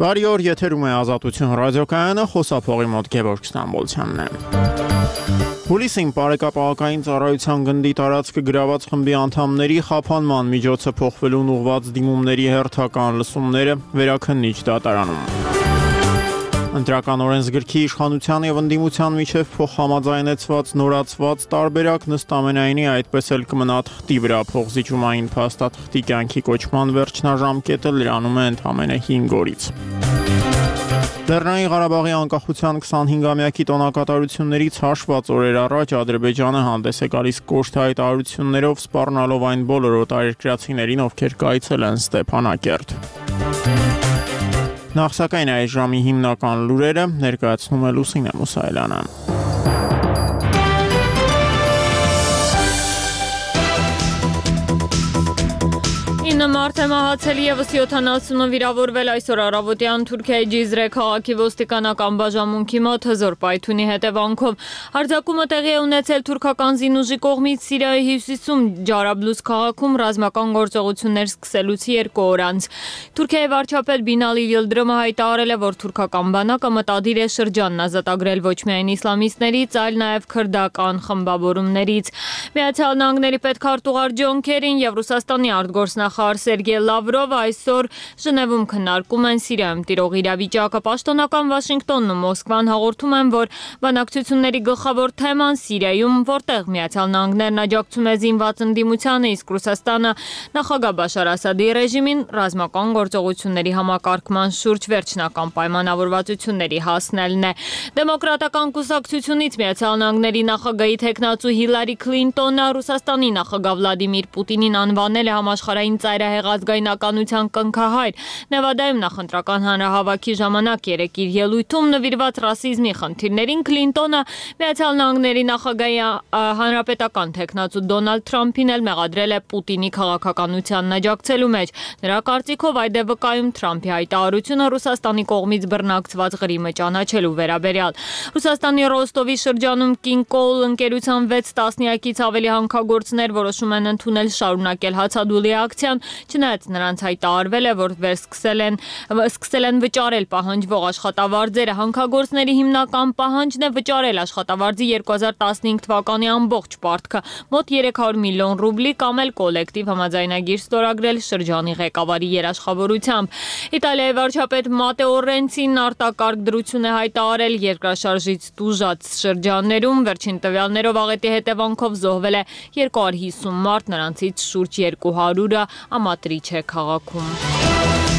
Բարի օր, եթերում է Ազատություն ռադիոկայանը, խոսափողի մոտ Գևորգ Ստամբոլցյանն է։ Հուլիսին Պարեկապահական ծառայության գնդի տարածքը գրաված խմբի անդամների խափանման միջոցը փոխվելուն ուղղված դիմումների հերթական լսումները վերաքննիչ դատարանում։ Ընտրական օրենսգրքի իշխանության եւ ընդդիմության միջև փոխհամաձայնեցված նորացված տարբերակ նստամենայինի այդպես էլ կմնա թղթի վրա փոխզիջումային փաստաթղթի կյանքի կոչման վերջնաժամկետը լրանում է ընդամենը 5 օրից։ Լեռնային Ղարաբաղի անկախության 25-ամյակի տոնակատարություններից հաշված օրեր առաջ Ադրբեջանը հանդես է գալիս կոշտ հայտարարություններով սպառնալով այն բոլոր օտարերկրացիներին, ովքեր կայցել են Ստեփանակերտ։ Նախ սակայն այս ժամի հիմնական լուրերը ներկայացնում է Լուսինե Մուսայելյանը։ 9 մարդ է մահացել եւս 70 վիրավորվել այսօր առավոտյան Թուրքիայի Cizre քաղաքի ոստիկանական բաժանմունքի մոտ հզոր պայթյունի հետևանքով հարձակումը տեղի է ունեցել թուրքական զինուժի կողմից Սիրիայի հյուսիսում Ջարաբլուս քաղաքում ռազմական գործողություններ սկսելուց 2 օր անց։ Թուրքիայի վարչապետ Բինալի Yıldırımը հայտարարել է, որ թուրքական բանակը մտադիր է շրջանն ազատագրել ոչ միայն իսլամիստներից, այլ նաև քրդական խմբավորումներից։ Միացյալ Նահանգների պետքարտուղար Ջոն Քերին եւ Ռուսաստանի արտգործնախարար Սերգեյ Լավրովը այսօր Ժնևում քննարկում են Սիրիայում տիրող իրավիճակը։ Պաշտոնական Վաշինգտոնն ու Մոսկվան հաղորդում են, որ բանակցությունների գլխավոր թեման Սիրիայում, որտեղ Միացյալ Նահանգներն աջակցում է զինված ընդդիմությանը, իսկ Ռուսաստանը նախագահ Բաշար Ասադի ռեժիմին ռազմական գործողությունների համակարգման շուրջ վերջնական պայմանավորվածությունների հասնելն է։ Դեմոկրատական կուսակցությունից Միացյալ Նահանգների նախագահի թեկնածու Հիլարի Քլինտոնը Ռուսաստանի նախագահ Վլադիմիր Պուտինին անվանել է համաշխարհային ծայրահեղ ազգայնականության կնքահայր։ Նևադայում նախընտրական հանրահավաքի ժամանակ երեկ իր ելույթում նվիրված ռասիզմի խնդիրներին Քլինտոնը Միացյալ Նահանգների նախագահի հանրապետական թեկնածու Դոնալդ Թրամփին էլ մեղադրել է Պուտինի քաղաքականությանն աջակցելու մեջ։ Նրա կարծիքով այդ է վկայում Թրամփի հայտարարությունը Ռուսաստանի կողմից բռնակցված Ղրիմը ճանաչելու վերաբերյալ։ Ռուսաստանի Ռոստովի շրջանում Կինկոլ ընկերության 6 տասնյակից ավելի հանքագործներ որոշում են ընդունել շարունակել հացադուլի ակցիան, չնայած նրանց հայտարարվել է, որ սկսել են վճարել պահանջվող աշխատավարձերը։ Հանքագործների հիմնական պահանջն է վճարել աշխատավարձի 2015 թվականի ամբողջ պարտքը, մոտ 300 միլիոն ռուբլի կամ էլ կոլեկտիվ համաձայնագիր ստորագրել շրջանի ղեկավարի երաշխավորությամբ։ Իտալիայի վարչապետ Մատեո Ռենցին արտակարգ դրություն է հայտարարել երկրաշարժից տուժած շրջաններում։ Վերջին տվյալներով աղետի հետևանքով զոհվել է 250 մարդ, նրանցից շուրջ 200-ը Ամատրիչե քաղաքում։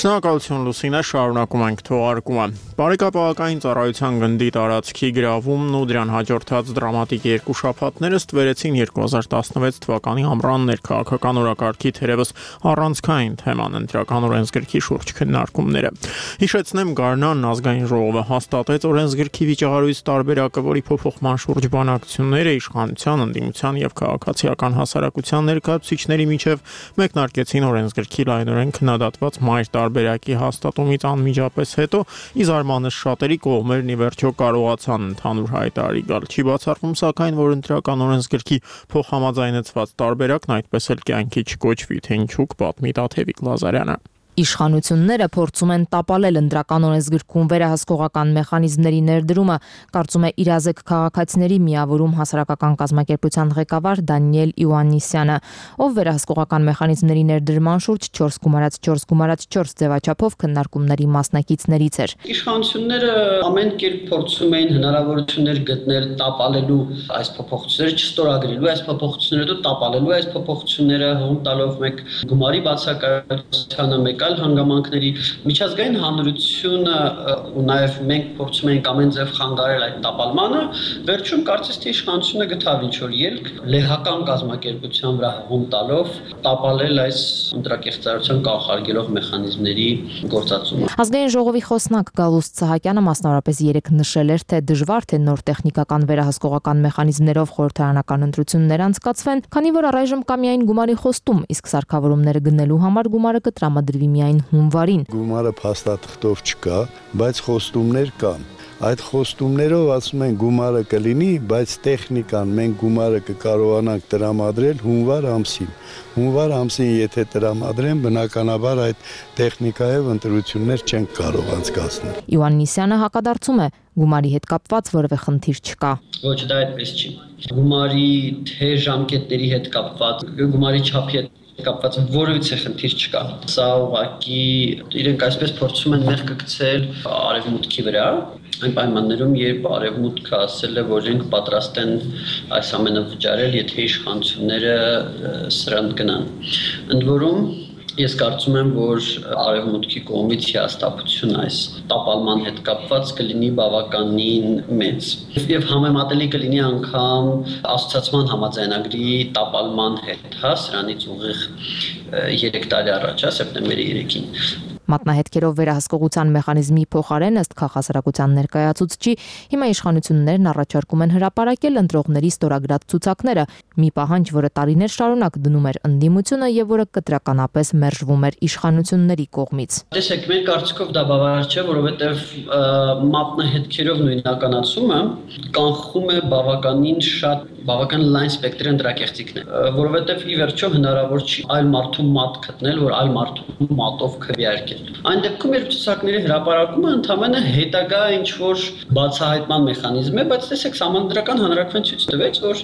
Շնորհակալություն Լուսինե, շարունակում ենք թողարկումը։ Պարեկապահական ծառայության գնդի տարածքի գրավումն ու դրան հաջորդած դրամատիկ 2 շաբաթները ստվերեցին 2016 թվականի ամռան ներքաղաքական օրակարգի թերևս առանցքային թեման ընտրական օրենսգրքի շուրջ քննարկումները։ Հիշեցնեմ, Գարնանն ազգային ժողովը հաստատեց օրենսգրքի վիճահարույց տարբերակը, որի փոփոխման շուրջ բանակցությունները իշխանության, ընդդիմության եւ քաղաքացիական հասարակության ներկայացուցիչների միջև մեկնարկեցին օրենսգրքի լայնորեն քննադատված մայր տարբերակի հաստատումից անմիջապես հետո ի զարմանս շատերի կողմերն ի վերջո կարողացան ընդհանուր հայտարարի գալ։ Չի բացառվում սակայն, որ ընտրական օրենսգրքի փոխհամաձայնեցված տարբերակն այդպես էլ կյանքի չկոչվի, թե ինչու կպատմի Տաթևիկ Լազարյանը։ Իշխանությունները փորձում են տապալել ընտրական օրենսգրքում վերահսկողական մեխանիզմների ներդրումը, կարծում է իրազեկ քաղաքացիների միավորում հասարակական կազմակերպության ղեկավար Դանիել Իոաննիսյանը, ով վերահսկողական մեխանիզմների ներդրման շուրջ 4+4+4 ձևաչափով քննարկումների մասնակիցներից էր։ Իշխանությունները ամեն կերպ փորձում էին հնարավորություններ գտնել տապալելու այս փոփոխությունները, չստորագրելու այս փոփոխությունները, տապալելու այս փոփոխությունները, հողում տալով մեկ գումարի բացակայությանը, մեկ այլ հանգամանքների միջազգային հանրությունը ու նաև մենք փորձում ենք ամեն ձև խանգարել այդ տապալմանը, վերջում կարծես թե իշխանությունը գտավ ինչ-որ ելք լեհական կազմակերպության վրա հողում տալով տապալել այս ընտրակեղծարարության կանխարգելող մեխանիզմների գործածումը։ Ազգային ժողովի խոսնակ Գալուստ Սահակյանը մասնավորապես երեկ նշել էր, թե դժվար թե նոր տեխնիկական վերահսկողական մեխանիզմներով խորհրդարանական ընտրություններ անցկացվեն, քանի որ առայժմ կա միայն գումարի խոստում, իսկ սարքավորումները գնելու համար գումարը կտրամադրվի միայն հունվարին։ Գումարը փաստաթղթով չկա, բայց խոստումներ կան։ Այդ խոստումներով ասում են գումարը կլինի, բայց տեխնիկան մենք գումարը կկարողանանք տրամադրել հունվար ամսին։ Հունվար ամսին եթե տրամադրեն, բնականաբար այդ տեխնիկայով ընտրություններ չեն կարող անցկացնել։ Իոաննիսյանը հակադարձում է, գումարի հետ կապված որևէ խնդիր չկա։ Ոչ, դա այդպես չի։ Գումարի թե ժամկետների հետ կապված, գումարի չափի հետ կապված որևէ խնդիր չկա։ Սա ուղղակի իրենք այսպես փորձում են մեղքը գցել արևմուտքի վրա, այն պայմաններում, երբ արևմուտքը ասել է, որ իրենք պատրաստ են այս ամենը վճարել, եթե իշխանությունները սրանց գնան։ Ընդ որում ես կարծում եմ, որ արևմուտքի կողմից հիասթափություն այս տապալման հետ կապված կլինի բավականին մեծ։ Եվ համեմատելի կլինի անգամ ասոցիացիան համաձայնագրի տապալման հետ, սրանից ուղիղ 3 տարի առաջ, սեպտեմբերի 3-ին։ Մատնահետքերով վերահսկողության մեխանիզմի փոխարեն ըստ քաղաքասարակության ներկայացուցչի հիմա իշխանություններն առաջարկում են հրապարակել ընտրողների ստորագրած ցուցակները, մի պահանջ, որը տարիներ շարունակ դնում էր ընդդիմությունը եւ որը կտրականապես մերժվում էր իշխանությունների կողմից։ Տեսեք, մեր կարծիքով դա բավարար չէ, որովհետեւ մատնահետքերով նույնականացումը կանխում է բավական լայն սպեկտրի ընտրակեղծիքներ, որովհետեւ ի վերջո հնարավոր չի այլ մարդու մատ գտնել, որ այլ մարդու մատով քվեարկել։ Այն դեպքում երբ ցուցակների հրապարակումը ընդհանրապես հետագա ինչ-որ բացահայտման մեխանիզմ է, բայց տեսեք, Սահմանադրական հանրաքվեն ցույց տվեց, որ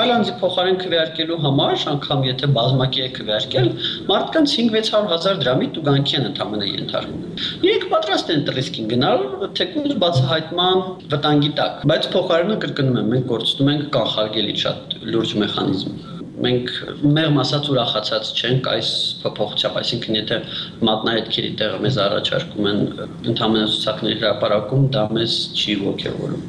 այլ անձի փոխարեն քվեարկելու համար, անգամ եթե բազմակի է քվեարկել, մարդկանց 5-600 դրամի տուգանքի են ընդհանրապես ենթարկվում։ Իրենք պատրաստ են ռիսկին գնալ, թեկուզ բացահայտման վտանգի տակ, բայց փոխարենը կրկնում եմ, մենք գործում ենք կանխարգելի շատ լուրջ մեխանիզմ։ Մենք մեղմ ասած ուրախացած չենք այս փոփոխությամբ, այսինքն եթե մատնահետքերի տեղը մեզ առաջարկում են ընդհանրապես ցուցակների հրապարակում, դա մեզ չի ոգևորում։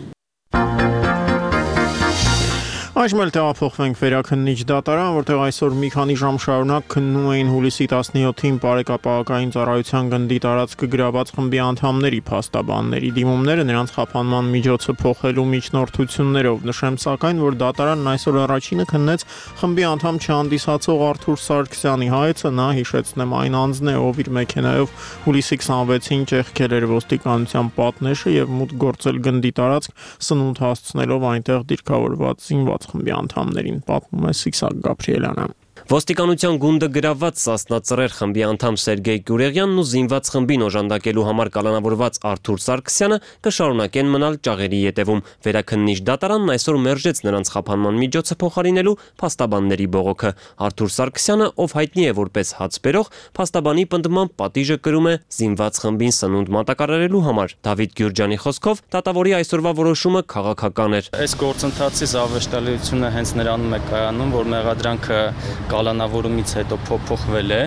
Այժմ էլ տեղափոխվենք Վերաքննիչ դատարան, որտեղ այսօր մի քանի ժամ շարունակ քննում էին հուլիսի 17-ին Բարեկապահական ծառայության գնդի տարածքը գրաված խմբի անդամների փաստաբանների դիմումները նրանց խափանման միջոցը փոխելու միջնորդություններով։ Նշեմ սակայն, որ դատարանն այսօր առաջինը քննեց խմբի անդամ չհանդիսացող Արթուր Սարգսյանի հայցը, նա հիշեցնեմ այն անձն է, ով իր մեքենայով հուլիսի 26-ին ճեղքել էր ոստիկանության պատնեշը եւ մուտք գործել գնդի տարածք սնունդ հասցնելով այնտեղ դիրքավորված զինված խմբի անդամներին, պատմում է Սիսակ Գաբրիելյանը։ Ոստիկանության գունդը գրաված Սասնա-Ծռեր խմբի անդամ Սերգեյ Գյուրեղյանն ու զինված խմբին օժանդակելու համար կալանավորված Արթուր Սարգսյանը կշարունակեն մնալ ճաղերի ետևում։ Վերաքննիչ դատարանն այսօր մերժեց նրանց խափանման միջոցը փոխարինելու փաստաբանների բողոքը։ Արթուր Սարգսյանը, ով հայտնի է որպես հացբերող, փաստաբանի պնդմամբ պատիժը կրում է զինված խմբին սնունդ մատակարարելու համար։ Դավիթ Գյուրջյանի խոսքով դատավորի այսօրվա որոշումը քաղաքական էր։ Այս գործընթացի զավեշտալիությունը հենց նրանում է կայանում, որ մեղադրանքը կալանավորումից հետո փոփոխվել է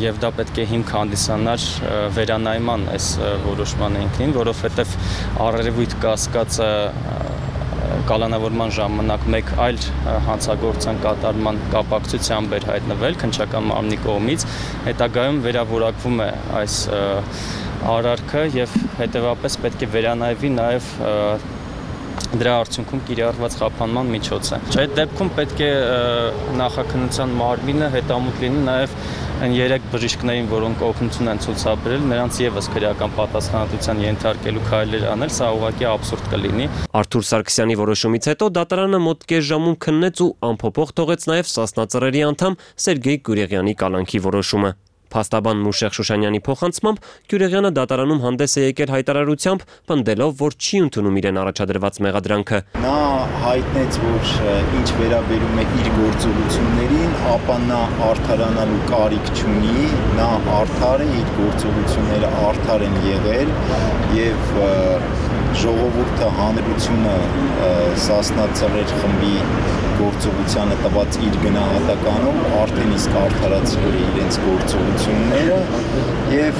եւ դա պետք է հիմք հանդիսանար վերանայման այս որոշման ինքնին, որովհետեւ առերևույթ կասկածը կալանավորման ժամանակ մեկ այլ հանցագործության կատարման կապակցությամբ էր հայտնվել քննչական մարմնի կողմից, հետագայում վերավորակվում է այս արարքը եւ հետեւաբար պետք է վերանայվի նաեւ դրա արդյունքում կիրառված խափանման միջոցը։ Այդ դեպքում պետք է նախաքննության մարմինը հետամուտ լինի նաև այն 3 բժիշկներին, որոնք օգնություն են ցուցաբերել, նրանց եւս քրեական պատասխանատվության ենթարկելու քայլեր անել, սա ուղղակի աբսուրդ կլինի։ Արթուր Սարգսյանի որոշումից հետո դատարանը մոտ կես ժամում քննեց ու անփոփոխ թողեց նաև Սասնա-Ծռերի անդամ Սերգեյ Գյուրեղյանի կալանքի որոշումը։ Փաստաբան Մուշեղ Շուշանյանի փոխանցմամբ Գյուրեղյանը դատարանում հանդես է եկել հայտարարությամբ, պնդելով, որ չի ընդունում իրեն առաջադրված մեղադրանքը։ Նա հայտնեց, որ ինչ վերաբերում է իր գործողություններին, ապա նա արդարանալու կարիք չունի, նա արդար է, իր գործողությունները արդար են եղել եւ ժողովուրդը հանրությունը Սասնա-Ծռեր խմբի գործողությանը տված իր գնահատականով արդեն իսկ արդարացրել է իրենց գործողությունները եւ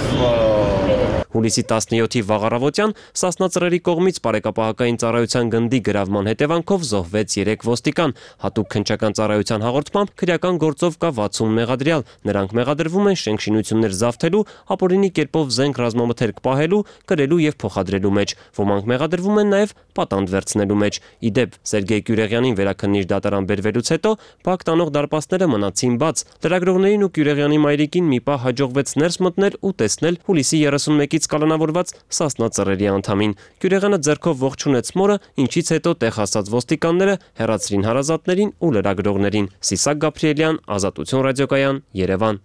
Հուլիսի 17-ի վաղ առավոտյան Սասնա կողմից բարեկապահական ծառայության գնդի գրավման հետևանքով զոհվեց 3 ոստիկան։ Հատուկ քննչական ծառայության հաղորդմամբ քրեական գործով կա 60 մեղադրյալ։ Նրանք մեղադրվում են շենքշինություններ զավթելու, ապօրինի կերպով զենք ռազմամթերք պահելու, կրելու եւ փոխադրելու մեջ։ Ոմանք մեղադրվում են նաեւ պատանդ վերցնելու մեջ։ Ի դեպ, Սերգեյ Կյուրեղյանին վերաքննիչ դատարան բերվելուց հետո Բաք տանող դարպասները մնացին բաց։ Լրագրողներին ու Կյուրեղյանի մայրիկին մի պահ հաջողվեց ներս մտնել ու տեսնել հուլիսի 31-ից կալանավորված Սասնա ծռերի անդամին։ Կյուրեղյանը ձեռքով ողջունեց մորը, ինչից հետո տեղ հասած ոստիկանները հեռացրին հարազատներին ու լրագրողներին։ Սիսակ Գաբրիելյան, Ազատություն ռադիոկայան, Երևան։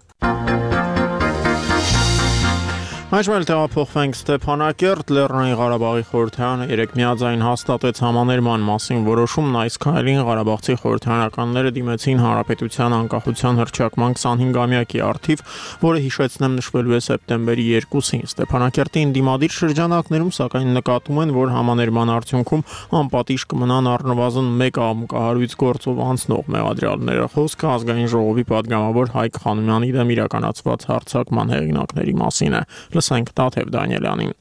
Այժմ տեղափոխվենք Ստեփանակերտ, Լեռնային Ղարաբաղի խորհրդարանը 3 միաձայն հաստատեց համաներման մասին որոշումն, այս քայլին ղարաբաղցի խորհրդարանականները դիմեցին Հանրապետության անկախության հռչակման 25-ամյակի առթիվ, որը հիշեցնեմ նշվելու է սեպտեմբերի 2-ին։ Ստեփանակերտի ընդդիմադիր շրջանակներում սակայն նկատում են, որ համաներման արդյունքում անպատիժ կմնան առնվազն 1 աղմկահարույց գործով անցնող մեղադրյալները։ Խոսքը ազգային ժողովի падգամավոր Հայկ Խանոմյանի դեմ իրականացված հարձակման հեղինակների մասին է։ Լսենք Տաթև Դանիելյանին։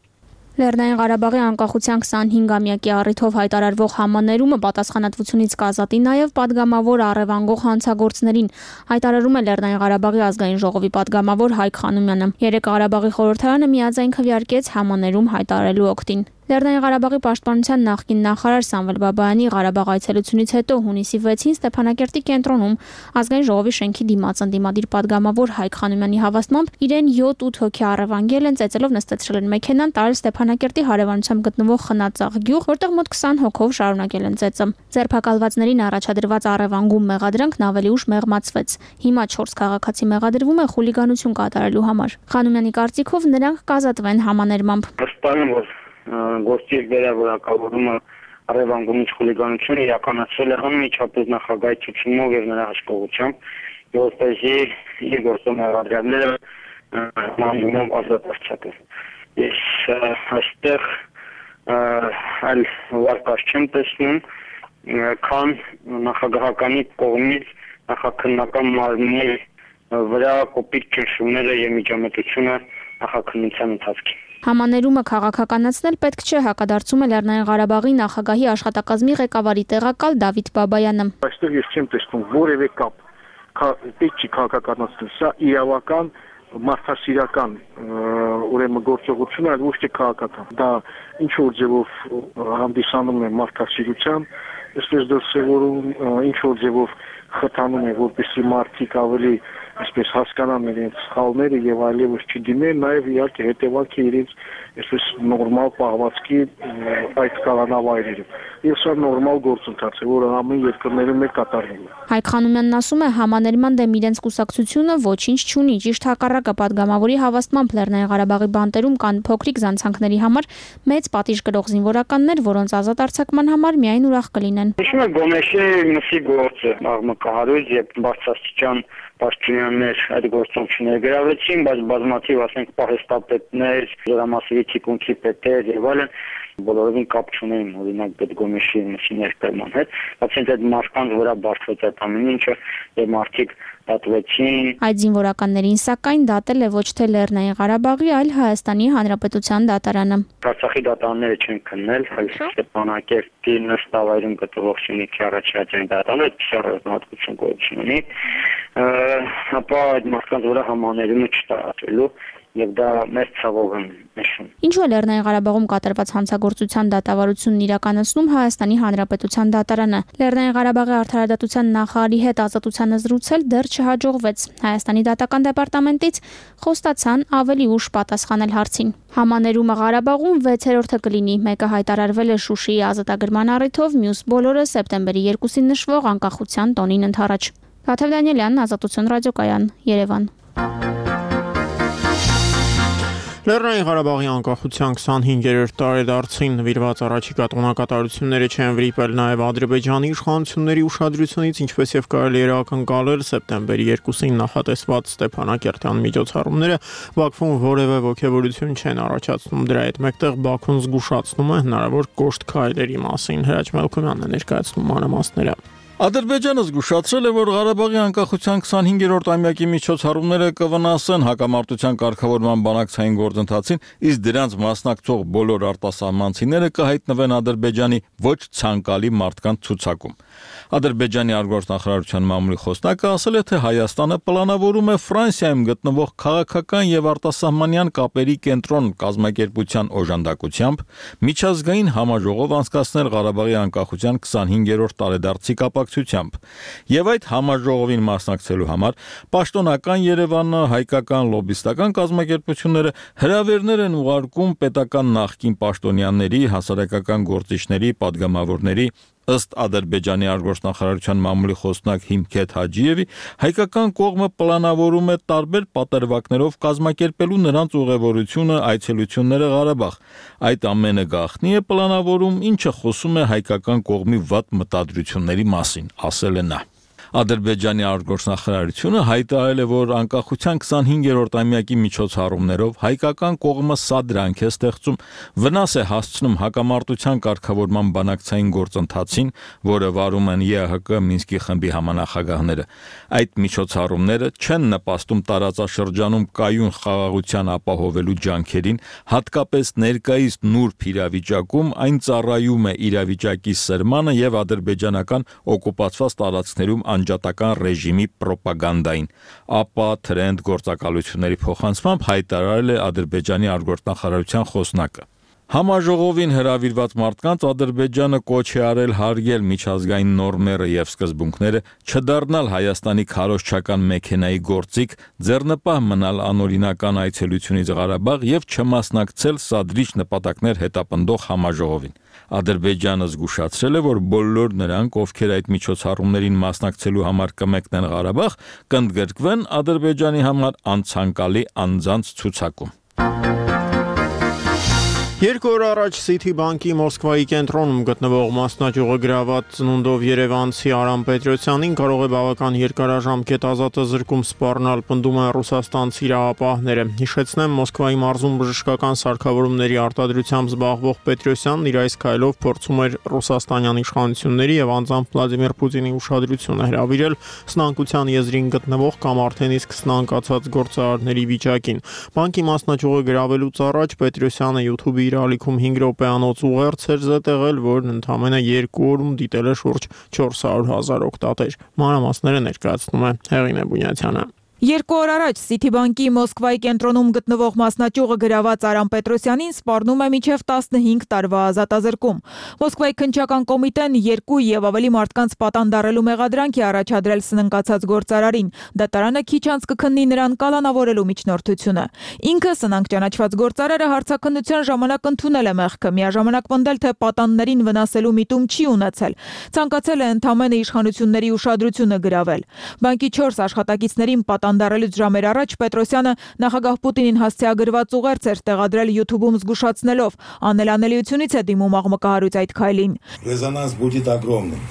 Լեռնային Ղարաբաղի անկախության 25-ամյակի առիթով հայտարարվող համաներումը պատասխանատվությունից կազատի նաև падգամավոր առևանգող հանցագործներին, հայտարարում է Լեռնային Ղարաբաղի ազգային ժողովի падգամավոր Հայկ Խանոմյանը։ 3 Ղարաբաղի խորհրդարանը միաձայն քվեարկեց համաներում հայտարարելու օգտին։ Լեռնային Ղարաբաղի պաշտպանության նախկին նախարար Սամվել Բաբայանի Ղարաբաղ այցելությունից հետո հունիսի 6-ին Ստեփանակերտի կենտրոնում ազգային ժողովի շենքի դիմաց ընդդիմադիր падգամավոր Հայկ Խանոմյանի հավաստմամբ իրեն 7-8 հոգի առևանգել են, ծեծելով նստեցրել են մեքենան, տարել Ստեփանակերտի հարևանությամբ գտնվող Խնածաղ գյուղ, որտեղ մոտ 20 հոգով շարունակել են ծեծը։ Ձերբակալվածներին առաջադրված առևանգում մեղադրանքն ավելի ուշ մեղմացվեց։ Հիմա 4 քաղաքացի մեղադրվում է խուլիգանություն կատարելու համար։ Խանոմյանի կարծիքով նրանք կազատվեն համաներմամբ։ Գործի վերավորակավորումը առևանգումից խուլիգանություն իրականացվել է անմիջապես նախագահի ցուցումով եւ նրա հաշվողությամբ, որպեսզի իր գործում մեղադրյալները մանյունով ազատացվեն։ Ես այստեղ այլ վարկաշ չեմ տեսնում, քան նախագահականի կողմից նախաքննական մարմնի վրա կոպիտ ճնշումները եւ միջամտությունը նախաքննության ընթացքում։ Համաներումը քաղաքականացնել պետք չէ, հակադարձում է Լեռնային Ղարաբաղի նախագահի աշխատակազմի ղեկավարի տեղակալ Դավիթ Բաբայանը։ Այստեղ ես չեմ տեսնում որևէ կապ, պետք չի քաղաքականացնել, սա իրավական մարդասիրական ուրեմն գործողություն, այլ ոչ թե քաղաքական։ Դա ինչ որ ձևով հանդիսանում է մարդասիրության, այսպես դրսևորում, ինչ որ ձևով խթանում է, որպեսզի մարդիկ ավելի այսպես հասկանան իրենց սխալները եւ այլևս չդիմեն, նաեւ իհարկե հետեւանքը իրենց այսպես նորմալ պահվածքի այդ կալանավայրերում։ Եվ սա նորմալ գործընթաց է, որը ամեն երկրներում է կատարվում։ Հայկ Խանոմյանն ասում է, համաներման դեմ իրենց կուսակցությունը ոչինչ չունի, ճիշտ հակառակը падգամավորի հավաստմամբ Լեռնային Ղարաբաղի բանտերում կան փոքրիկ զանցանքների համար մեծ պատիժ կրող զինվորականներ, որոնց ազատ արձակման համար միայն ուրախ կլինեն։ Հիշում եք Գոմեշի մսի գործը, աղմկահարույց եւ բարձրաստիճան պաշտոնյաներ այդ գործողությունները գրավեցին, բայց բազմաթիվ ասենք պահեստապետներ, դրամասերի թիկունքի պետեր եւ այլն բոլորովին կապ չունեին օրինակ Պետգոմեշի մսի ներկայման հետ, բացի այդ մարդկանց վրա բարձրացած այդ ամեն ինչը եւ մարդիկ դատվեցին։ Այդ զինվորականներին սակայն դատել է ոչ թե Լեռնային Ղարաբաղի, այլ Հայաստանի Հանրապետության դատարանը։ Արցախի դատարանները չեն քննել, այլ Ստեփանակերտի նստավայրում գտնվող Շինիքի առաջադեմ դատարանը քրեական գոյություն ունի, ապա այդ մարդկանց վրա համաներումը չտարածելու եւ դա մեծ ցավով եմ նշում։ Ինչու է Լեռնային Ղարաբաղում կատարված հանցագործության դատավարությունն իրականացնում Հայաստանի Հանրապետության դատարանը։ Լեռնային Ղարաբաղի արդարադատության նախարարի հետ ազատությանը զրուցել դեռ չհաջողվեց։ Հայաստանի դատական դեպարտամենտից խոստացան ավելի ուշ պատասխանել հարցին։ Համաներումը Ղարաբաղում 6-րդը կլինի, մեկը հայտարարվել է Շուշիի ազատագրման առիթով, մյուս բոլորը սեպտեմբերի 2-ին նշվող անկախության տոնին ընդառաջ։ Տաթև Դանիելյան, Ազատություն ռադիոկայան, Երևան։ Լեռնային Ղարաբաղի անկախության 25-րդ տարեդարձին նվիրված առաջիկա տոնակատարությունները չեն վրիպել նաև Ադրբեջանի իշխանությունների ուշադրությունից, ինչպես եւ կարելի էր ակնկալել սեպտեմբերի 2-ին նախատեսված Ստեփանակերտյան միջոցառումները Բաքվում որևէ ոգևորություն չեն առաջացնում։ Դրա հետ մեկտեղ Բաքուն զգուշացնում է հնարավոր կոշտ քայլերի մասին։ Հրաչ Մելքոմյանն է ներկայացնում մանրամասները։ Ադրբեջանը զգուշացրել է, որ Ղարաբաղի անկախության 25-րդ ամյակի միջոցառումները կվնասեն հակամարտության կարգավորման բանակցային գործընթացին, իսկ դրանց մասնակցող բոլոր արտասահմանցիները կհայտնվեն Ադրբեջանի ոչ ցանկալի մարդկանց ցուցակում։ Ադրբեջանի արտգործնախարարության մամուլի խոսնակը ասել է, թե Հայաստանը պլանավորում է Ֆրանսիայում գտնվող քաղաքական եւ արտասահմանյան կապերի կենտրոն կազմակերպության օժանդակությամբ միջազգային համաժողով անցկացնել Ղարաբաղի անկախության 25-րդ տարեդարձի կապակցությամբ, եւ այդ համաժողովին մասնակցելու համար պաշտոնական Երևանը, հայկական լոբիստական կազմակերպությունները հրավերներ են ուղարկում պետական նախկին պաշտոնյաների, հասարակական գործիչների, падգամավորների։ Ըստ Ադրբեջանի արտգործնախարարության մամուլի խոսնակ Հիմքեթ Հաջիևի, հայկական կողմը պլանավորում է տարբեր պատրվակներով կազմակերպելու նրանց ուղևորությունը, այցելությունները Ղարաբաղ։ Այդ ամենը գաղտնի է պլանավորում, ինչը խոսում է հայկական կողմի վատ մտադրությունների մասին, ասել է նա։ Ադրբեջանի արտգործնախարարությունը հայտարարել է, որ անկախության 25-րդ ամյակի միջոցառումներով հայկական կողմը սադրանք է ստեղծում, վնաս է հասցնում հակամարտության կարգավորման բանակցային գործընթացին, որը վարում են ԵԱՀԿ Մինսկի խմբի համանախագահները։ Այդ միջոցառումները չեն նպաստում տարածաշրջանում կայուն խաղաղության ապահովելու ջանքերին, հատկապես ներկայիս նուրբ իրավիճակում այն ծառայում է իրավիճակի սրմանը եւ ադրբեջանական օկուպացված տարածքներում անջատական ռեժիմի պրոպագանդային, ապա թրենդ գործակալությունների փոխանցմամբ հայտարարել է Ադրբեջանի արտգործնախարարության խոսնակը։ Համաժողովին հրավիրված մարդկանց Ադրբեջանը կոչ է արել հարգել միջազգային նորմերը եւ սկզբունքները, չդառնալ Հայաստանի քարոզչական մեքենայի գործիք, ձեռնպահ մնալ անօրինական այցելությունից Ղարաբաղ եւ չմասնակցել սադրիչ նպատակներ հետապնդող համաժողովին։ Ադրբեջանը զգուշացրել է, որ բոլոր նրանք, ովքեր այդ միջոցառումներին մասնակցելու համար կմեկնեն Ղարաբաղ, կընդգրկվեն Ադրբեջանի համար անցանկալի անձանց ցուցակում։ 2 օր առաջ Citibank-ի Մոսկվայի կենտրոնում գտնվող մասնաճյուղը գրաված ծնունդով երևանցի Արամ Պետրոսյանին կարող է բավական երկարաժամկետ ազատազրկում սպառնալ, պնդում են ռուսաստանցի իրավապահները։ Հիշեցնեմ, Մոսկվայի մարզում բժշկական սարքավորումների արտադրությամբ զբաղվող Պետրոսյանն իր այս քայլով փորձում էր ռուսաստանյան իշխանությունների եւ անձամբ Վլադիմիր Պուտինի ուշադրությունը հրավիրել սնանկության եզրին գտնվող կամ արդեն իսկ սնանկացած գործարարների վիճակին։ Բանկի մասնաճյուղը գրավելուց առաջ Պետրոսյանը YouTube-ի իր ալիքում 5 րոպեանոց ուղերձ էր զետեղել, որն ընդամենը 2 օրում դիտել է շուրջ 400,000 օգտատեր։ Մանրամասները ներկայացնում է Հեղինե Բունյացյանը։ 2 օր առաջ Citibank-ի Մոսկվայի կենտրոնում գտնվող մասնաճյուղը գրաված Արամ Պետրոսյանին սպառնում է մինչև 15 տարվա ազատազրկում։ Մոսկվայի քննչական կոմիտեն 2 եւ ավելի մարդկանց պատանդարելու մեղադրանք է առաջադրել սնանկացած գործարարին։ Դատարանը քիչ անց կքննի նրան կալանավորելու միջնորդությունը։ Ինքը սնանկ ճանաչված գործարարը հարցաքննության ժամանակ ընդունել է մեղքը, միաժամանակ պնդել, թե պատանդներին վնասելու միտում չի ունեցել։ Ցանկացել է ընդամենը իշխանությունների ուշադրությունը գրավել։ Բանկի 4 աշխատակիցներին Անդարելուց ժամեր առաջ Պետրոսյանը նախագահ Պուտինին հասցեագրված ուղերձ էր տեղադրել YouTube-ում զգուշացնելով, անելանելիությունից է դիմում աղմկահարույց այդ քայլին։ Резонанс будет огромным.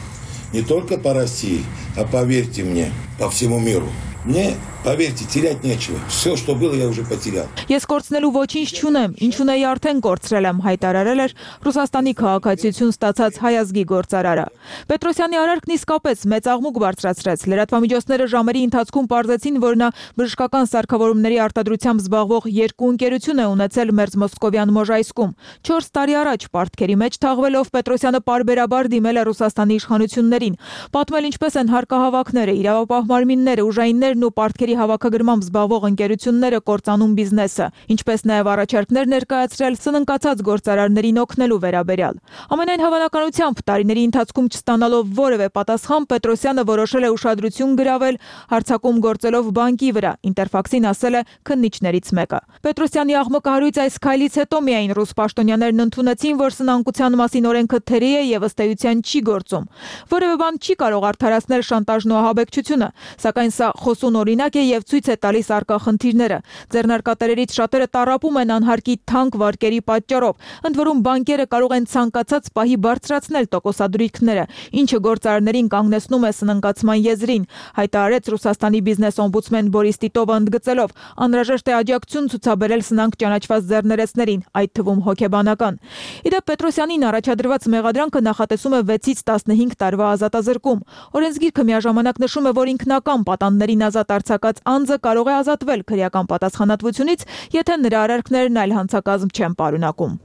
Не только по России, а поверьте мне, по всему миру. Мне, поверьте, терять нечего. Все, что было, я уже потерял. Ես կորցնելու ոչինչ չունեմ, ինչ ունեի արդեն կորցրել եմ, հայտարարել էր Ռուսաստանի քաղաքացիություն ստացած հայազգի գործարարը։ Պետրոսյանի արարքն իսկապես մեծ աղմուկ բարձրացրեց։ Լրատվամիջոցները ժամերի ընթացքում պարզեցին, որ նա բժշկական սարքավորումների արտադրությամբ զբաղվող 2 ընկերություն է ունեցել Մերձմոսկովյան Մոժայսկում։ 4 տարի առաջ պարտքերի մեջ թաղվելով Պետրոսյանը պարբերաբար դիմել է Ռուսաստանի իշխանություններին, պատմել ինչպես են հարկահավաքները, իրավապահ մարմինները, ուժայիններն ու պարտքերի հավաքագրմամբ զբաղվող ընկերությունները կործանում բիզնեսը, ինչպես նաև առաջարկներ ներկայացրել սնանկացած գործարարներին օգնելու վերաբերյալ։ Ամենայն հավանականությամբ տարիների ընթացքում չստանալով որևէ պատասխան Պետրոսյանը որոշել է ուշադրություն գրավել հարձակում գործելով բանկի վրա, Ինտերֆաքսին ասել է քննիչներից մեկը։ Պետրոսյանի աղմկահարույց այս քայլից հետո միայն ռուս պաշտոնյաներն ընդունեցին, որ սնանկության մասին օրենքը թերի է եւ ըստ էության չի գործում։ Որևէ բան չի կարող արդարացնել շանտաժն ու ահաբեկչությունը, սակայն սա խոսուն օրինակ է եւ ցույց է տալիս առկա խնդիրները։ Ձեռնարկատերերից շատերը տառապում են անհարկի թանկ վարկերի պատճառով, ընդ որում բանկերը կարող են ցանկացած պահի բարձրացնել տոկոսադրույքները, ինչը գործարարներին կանգնեցնում է սննկացման եզրին, հայտարարեց Ռուսաստանի բիզնես օմբուդսմեն Բորիս Տիտովը ընդգծելով. անհրաժեշտ է աջակցություն ցուցաբերել սնանկ ճանաչված ձեռներեցներին, այդ թվում հոգեբանական։ Իդեպ Պետրոսյանին առաջադրված մեղադրանքը նախատեսում է 6-ից 15 տարվա ազատազրկում։ Օրենսգիրքը միաժամանակ նշում է, որ ինքնական պատանդներին ազատ արձակած անձը կարող է ազատվել քրեական պատասխանատվությունից, եթե նրա արարքներն այլ հանցակազմ չեն պարունակում։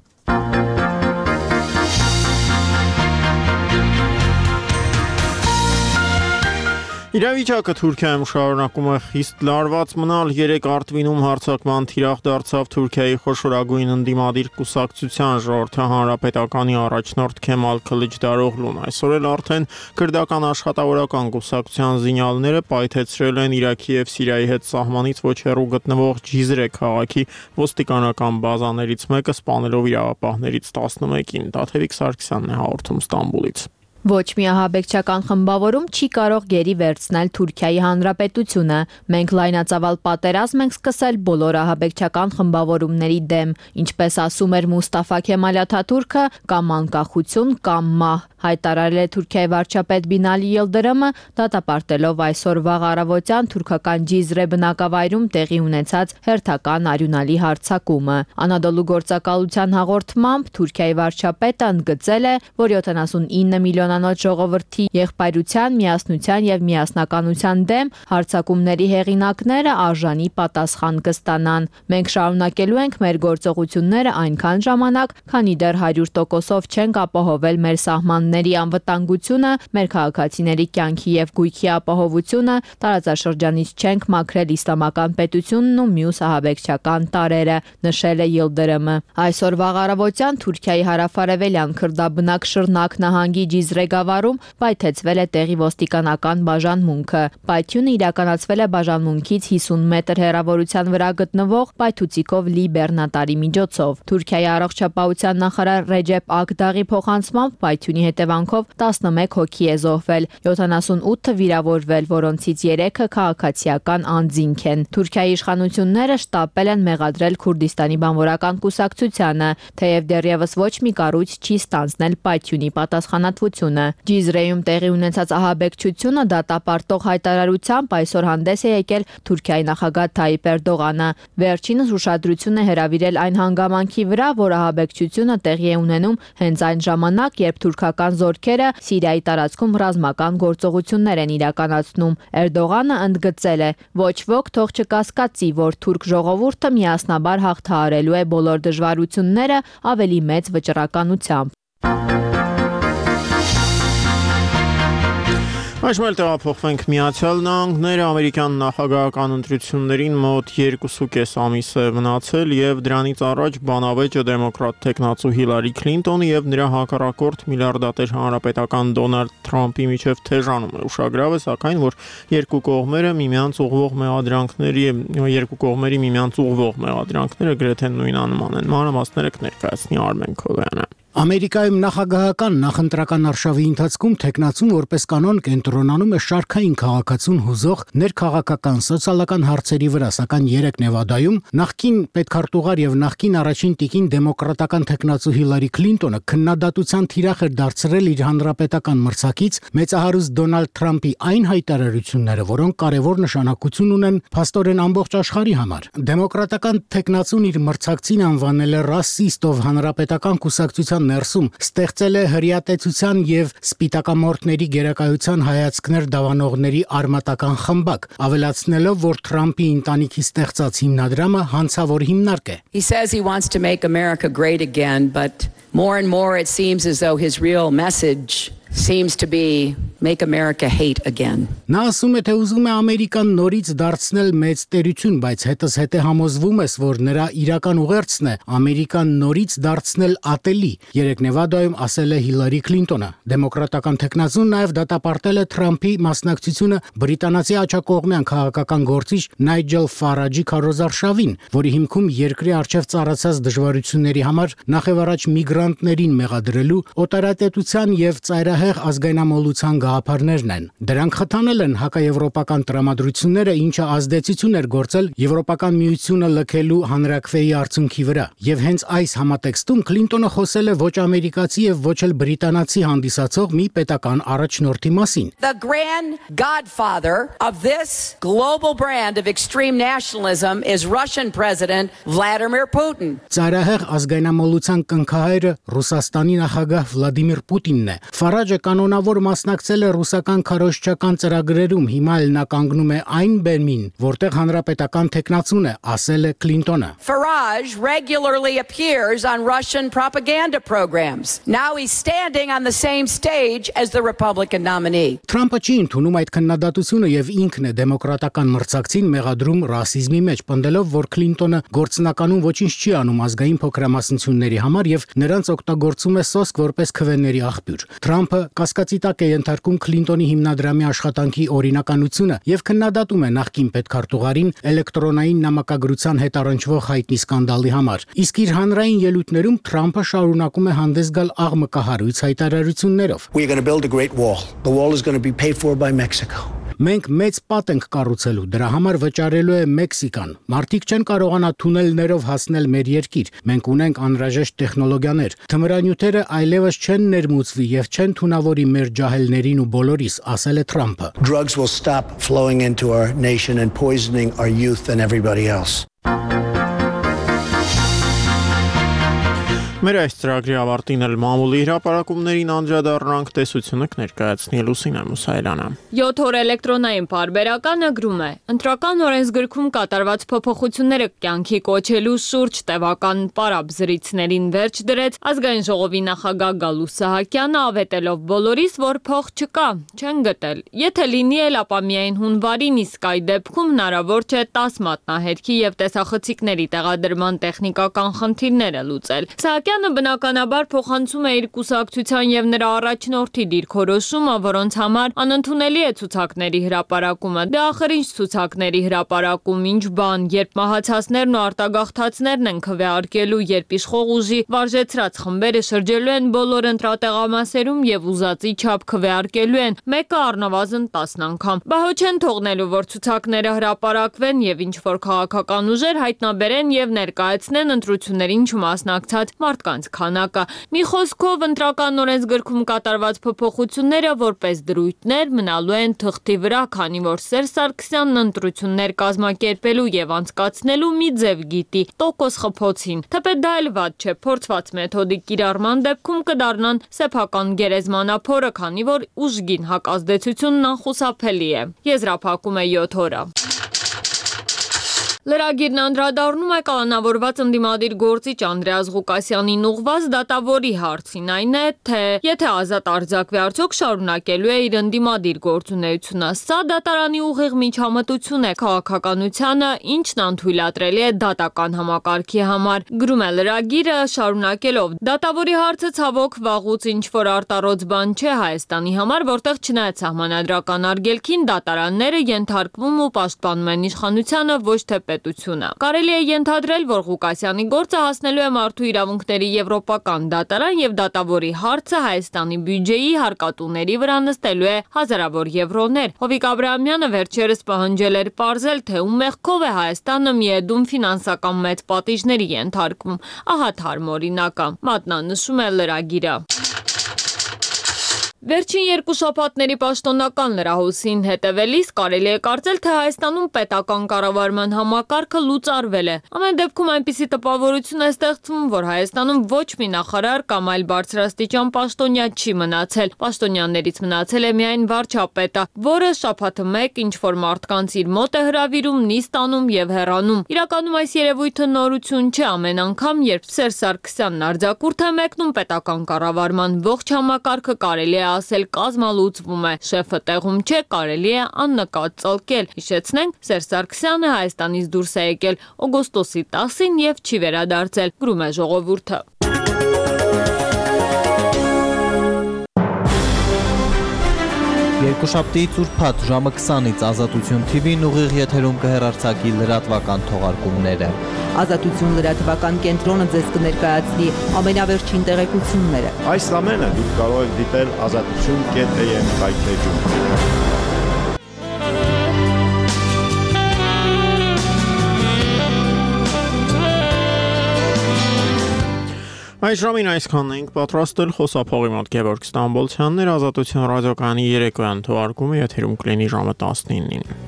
Իրավիճակը Թուրքիայում շարունակում է խիստ լարված մնալ։ 3 Արտվինում հարձակման թիրախ դարձավ Թուրքիայի խոշորագույն ընդդիմադիր կուսակցության Ժողովրդի հանրապետականի առաջնորդ Քեմալ Քլիչդարօղլուն։ Այսօր էլ արդեն քրդական աշխատավորական կուսակցության զինյալները պայթեցրել են Իրաքի եւ Սիրիայի հետ սահմանից ոչ հեռու գտնվող Ջիզրե քաղաքի ոստիկանական բազաներից մեկը, սպանելով իրավապահներից 11-ին։ Տաթևիկ Սարգսյանն է հաղորդում Ստամբուլից։ Ոչ մի ահաբեկչական խմբավորում չի կարող գերի վերցնել Թուրքիայի հանրապետությունը։ Մենք լայնածավալ պատերազմ ենք սկսել բոլոր ահաբեկչական խմբավորումների դեմ, ինչպես ասում էր Մուստաֆա Քեմալ Աթաթուրքը, կամ անկախություն, կամ մահ, հայտարարել է Թուրքիայի վարչապետ Բինալի Յիլդրիմը, դատապարտելով այսօր վաղ առավոտյան թուրքական Ջիզրե բնակավայրում տեղի ունեցած հերթական արյունալի հարձակումը։ Անադոլու գործակալության հաղորդմամբ Թուրքիայի վարչապետը ընդգծել է, որ 79 միլիոնանոց ժողովրդի եղբայրության, միասնության եւ միասնականության դեմ հարձակումների հեղինակները արժանի պատասխան կստանան։ Մենք շարունակելու ենք մեր գործողությունները այնքան ժամանակ, քանի դեռ 100%-ով չենք ապահովել մեր սահմանների անվտանգությունը, մեր քաղաքացիների կյանքի եւ գույքի ապահովությունը, տարածաշրջանից չենք մաքրել իսլամական պետությունն ու մյուս ահաբեկչական տարրերը, նշել է Յիլդրիմը։ Այսօր վաղ առավոտյան Թուրքիայի հարավարևելյան քրդաբնակ Շռնակ նահանգի Ջիզրե գավառում պայթեցվել է տեղի ոստիկանական բաժանմունքը։ Պայթյունը իրականացվել է բաժանմունքից 50 մետր հեռավորության վրա գտնվող պայթուցիկով լի բեռնատարի միջոցով։ Թուրքիայի առողջապահության նախարար Ռեջեփ Ակդաղի փոխանցմամբ պայթյունի հետևանքով 11 հոգի է զոհվել, 78-ը վիրավորվել, որոնցից 3-ը քաղաքացիական անձինք են։ Թուրքիայի իշխանությունները շտապել են մեղադրել Քուրդիստանի բանվորական կուսակցությանը, թեև դեռևս ոչ մի կառույց չի ստանձնել պայթյունի պատասխանատվությունը։ Ջիզրեում տեղի ունեցած ահաբեկչությունը դատապարտող հայտարարությամբ այսօր հանդես է եկել Թուրքիայի նախագահ Թայիպ Էրդողանը։ Վերջինս ուշադրություն է հրավիրել այն հանգամանքի վրա, որ ահաբեկչությունը տեղի է ունենում հենց այն ժամանակ, երբ թուրքական զորքերը Սիրիայի տարածքում ռազմական գործողություններ են իրականացնում։ Էրդողանը ընդգծել է. ոչ ոք թող չկասկածի, որ թուրք ժողովուրդը միասնաբար հաղթահարելու է բոլոր դժվարությունները ավելի մեծ վճռականությամբ։ Այժմ տեղափոխվենք Միացյալ Նահանգները, ամերիկյան նախագահական ընտրություններին մոտ 2.5 ամիս է մնացել եւ դրանից առաջ բանավեճը դեմոկրատ տեխնացու Հիլարի Քլինտոնի եւ նրա հակառակորդ միլիարդատեր հանրապետական Դոնալդ Թրամփի միջև թեժանում է։ Ուշագրավ է սակայն, որ երկու կողմերի միմյանց ուղղվող գրեթե նույնանման են։ Մանրամասները կներկայացնի Արմեն Քոլյանը։ Ամերիկայում նախագահական նախընտրական արշավի ընթացքում տեխնացուն որպես կանոն կենտրոնանում է շարքային քաղաքացուն հուզող ներքաղաքական սոցիալական հարցերի վրա, սակայն 3 Նևադայում նախկին պետքարտուղար եւ նախկին առաջին տիկին դեմոկրատական տեխնացու Հիլարի Քլինտոնը քննադատության թիրախ էր դարձրել իր հանրապետական մրցակից մեծահարուստ Դոնալդ Թրամփի այն հայտարարությունները, որոնք կարևոր նշանակություն ունեն փաստորեն ամբողջ աշխարհի համար։ Դեմոկրատական տեխնացուն իր մրցակցին անվանել է ռասիստ, ով հանրապետական կուսակցության ներսում ստեղծել է հրեատեցության եւ սպիտակամորթների գերակայության հայացքներ դավանողների արմատական խմբակ, ավելացնելով, որ Թրամփի ընտանիքի ստեղծած հիմնադրամը հանցավոր հիմնարկ է։ He says he wants to make America great again, but more and more it seems as though his real message seems to be make America hate again. Նա ասում է, թե ուզում է Ամերիկան նորից դարձնել մեծ տերություն, բայց հետզհետե համոզվում ես, որ նրա իրական ուղերձն է Ամերիկան նորից դարձնել ատելի։ 3 Նևադայում ասել է Հիլարի Քլինտոնը։ Դեմոկրատական տեխնացուն նաև դատապարտել է Թրամփի մասնակցությունը բրիտանացի աջակողմյան քաղաքական գործիչ Նայջել Ֆարաջի քարոզարշավին, որի հիմքում երկրի առջև ծառացած դժվարությունների համար նախևառաջ միգրանտներին մեղադրելու, օտարատետության եւ ծայրահեղ ծայրահեղ ազգայնամոլության գաղափարներն են։ Դրանք խթանել են հակաեվրոպական տրամադրությունները, ինչը ազդեցություն էր գործել Եվրոպական միությունը լքելու հանրաքվեի արդյունքի վրա։ Եվ հենց այս համատեքստում Քլինտոնը խոսել է ոչ ամերիկացի եւ ոչ էլ բրիտանացի հանդիսացող մի պետական առաջնորդի մասին։ The grand godfather of this global brand of extreme nationalism is Russian President Vladimir Putin. Ծայրահեղ ազգայնամոլության կնքահայրը Ռուսաստանի նախագահ Վլադիմիր Պուտինն է։ Ֆարաջը կանոնավոր մասնակցել է ռուսական քարոզչական ծրագրերում, հիմա էլ նա կանգնում է այն բեմին, որտեղ հանրապետական տեխնացուն է, ասել է Քլինտոնը։ Farage regularly appears on Russian propaganda programs. Now he's standing on the same stage as the Republican nominee. Թրամփը չի ընդունում այդ քննադատությունը եւ ինքն է դեմոկրատական մրցակցին մեղադրում ռասիզմի մեջ, պնդելով, որ Քլինտոնը գործնականում ոչինչ չի անում ազգային փոքրամասնությունների համար եւ նրանց օգտագործում է սոսկ որպես քվեների աղբյուր։ Թրամփը կասկածի տակ է ենթարկում Քլինտոնի հիմնադրամի աշխատանքի օրինականությունը եւ քննադատում է նախկին պետքարտուղարին էլեկտրոնային նամակագրության հետ առնչվող հայտնի սկանդալի համար։ Իսկ իր հանրային ելույթներում Թրամփը շարունակում է հանդես գալ աղմկահարույց հայտարարություններով։ We're going to build a great wall. The wall is going to be paid for by Mexico. Մենք մեծ պատ ենք կառուցելու, դրա համար վճարելու է Մեքսիկան։ Մարդիկ չեն կարողանա թունելներով հասնել մեր երկիր։ Մենք ունենք անհրաժեշտ տեխնոլոգիաներ։ Թմրանյութերը այլևս չեն ներմուծվի եւ չեն թունավորի մեր ջահելներին ու բոլորիս, ասել է Թրամփը։ Drugs will stop flowing into our nation and poisoning our youth and everybody else. Մեր այս ծրագրի ավարտին էլ մամուլի հրապարակումներին անդրադառնանք, տեսությունը կներկայացնի Լուսինե Մուսայելյանը։ 7 օր էլեկտրոնային պարբերականը գրում է. Ընտրական օրենսգրքում կատարված փոփոխությունները կյանքի կոչելու շուրջ տևական պարապզրիցներին վերջ դրեց ազգային ժողովի նախագահ Գալուստ Սահակյանը, ավետելով բոլորիս, որ փող չկա, չեն գտել։ Եթե լինի էլ, ապա միայն հունվարին, իսկ այդ դեպքում հնարավոր չէ 10 մատնահետքի եւ տեսախցիկների տեղադրման տեխնիկական խնդիրները լուծել։ Սահակյանը բնականաբար փոխանցում է իր կուսակցության եւ նրա առաջնորդի դիրքորոշումը, որոնց համար անընդունելի է ցուցակների հրապարակումը։ Դե ախր ինչ ցուցակների հրապարակում, ինչ բան, երբ մահացածներն ու արտագաղթածներն են քվեարկելու, երբ իշխող ուժի վարժեցրած խմբերը շրջելու են բոլոր ընտրատեղամասերում եւ ուզածի չափ քվեարկելու են, մեկը առնվազն 10 անգամ։ Բա հո չեն թողնելու, որ ցուցակները հրապարակվեն եւ ինչ որ քաղաքական ուժեր հայտնաբերեն եւ ներկայացնեն ընտրություններին չմասնակցած մարդկանց քանակը։ Մի խոսքով ընտրական օրենսգրքում կատարված փոփոխությունները որպես դրույթներ մնալու են թղթի վրա, քանի որ Սերժ Սարգսյանն ընտրություններ կազմակերպելու եւ անցկացնելու մի ձև գիտի՝ տոկոս խփոցին։ Թեպետ դա էլ վատ չէ, փորձված մեթոդի կիրառման դեպքում կդառնան սեփական գերեզմանափորը, քանի որ ուժգին հակազդեցությունն անխուսափելի է։ Եզրափակում է 7 օրը։ Լրագիրն անդրադառնում է կալանավորված ընդդիմադիր գործիչ Անդրեաս Ղուկասյանին ուղղված դատավորի հարցին, այն է, թե եթե ազատ արձակվի, արդյոք շարունակելու է իր ընդդիմադիր գործունեությունը։ Սա դատարանի ուղիղ միջամտություն է քաղաքականությանը, ինչն անթույլատրելի է դատական համակարգի համար։ Գրում է լրագիրը, շարունակելով. դատավորի հարցը ցավոք վաղուց ինչ որ արտառոց բան չէ Հայաստանի համար, որտեղ չնայած սահմանադրական արգելքին դատարանները ենթարկվում ու պաշտպանում են իշխանությանը, ոչ թե պետությունը։ Կարելի է ենթադրել, որ Ղուկասյանի գործը հասնելու է մարդու իրավունքների եվրոպական դատարան եւ դատավորի հարցը Հայաստանի բյուջեի հարկատուների վրա նստելու է հազարավոր եվրոներ։ Հովիկ Աբրահամյանը վերջերս պահանջել էր պարզել, թե ում մեղքով է Հայաստանը միեդում ֆինանսական մեծ պատիժների ենթարկվում։ Ահա թարմ օրինակը, մատնանշում է լրագիրը։ Վերջին 2 շաբաթների պաշտոնական լրահոսին հետևելիս կարելի է կարծել, թե Հայաստանում պետական կառավարման համակարգը լուծարվել է։ Ամեն դեպքում այնպիսի տպավորություն է ստեղծվում, որ Հայաստանում ոչ մի նախարար կամ այլ բարձրաստիճան պաշտոնյա չի մնացել։ Պաշտոնյաներից մնացել է միայն վարչապետը, որը շաբաթը մեկ ինչ որ մարդկանց իր մոտ է հրավիրում, նիստ անում եւ հեռանում։ Իրականում այս երևույթը նորություն չէ, ամեն անգամ, երբ Սերժ Սարգսյանն արձակուրդ է մեկնում պետական կառավարման ողջ համակարգը կարելի է ասել կազմալուծվում է, շեֆը տեղում չէ, կարելի է աննկատ ծալկել։ Հիշեցնենք, Սերժ Սարգսյանը Հայաստանից դուրս է եկել օգոստոսի 10-ին եւ չի վերադարձել, գրում է Ժողովուրդը։ Երկուշաբթիից ուրբաթ ժամը 20-ից Ազատություն TV-ն ուղիղ եթերում կհեռարձակի լրատվական թողարկումները։ Ազատություն լրատվական կենտրոնը ձեզ կներկայացնի ամենավերջին տեղեկությունները։ Այս ամենը դուք կարող եք դիտել azatutun.am կայքէջում։ Այս ժամին այսքանն ենք պատրաստել խոսափողի մոտ Գևորգ Ստամբոլցյանն էր, Ազատություն ռադիոկայանի երեկոյան թողարկումը եթերում կլինի ժամը 19-ին։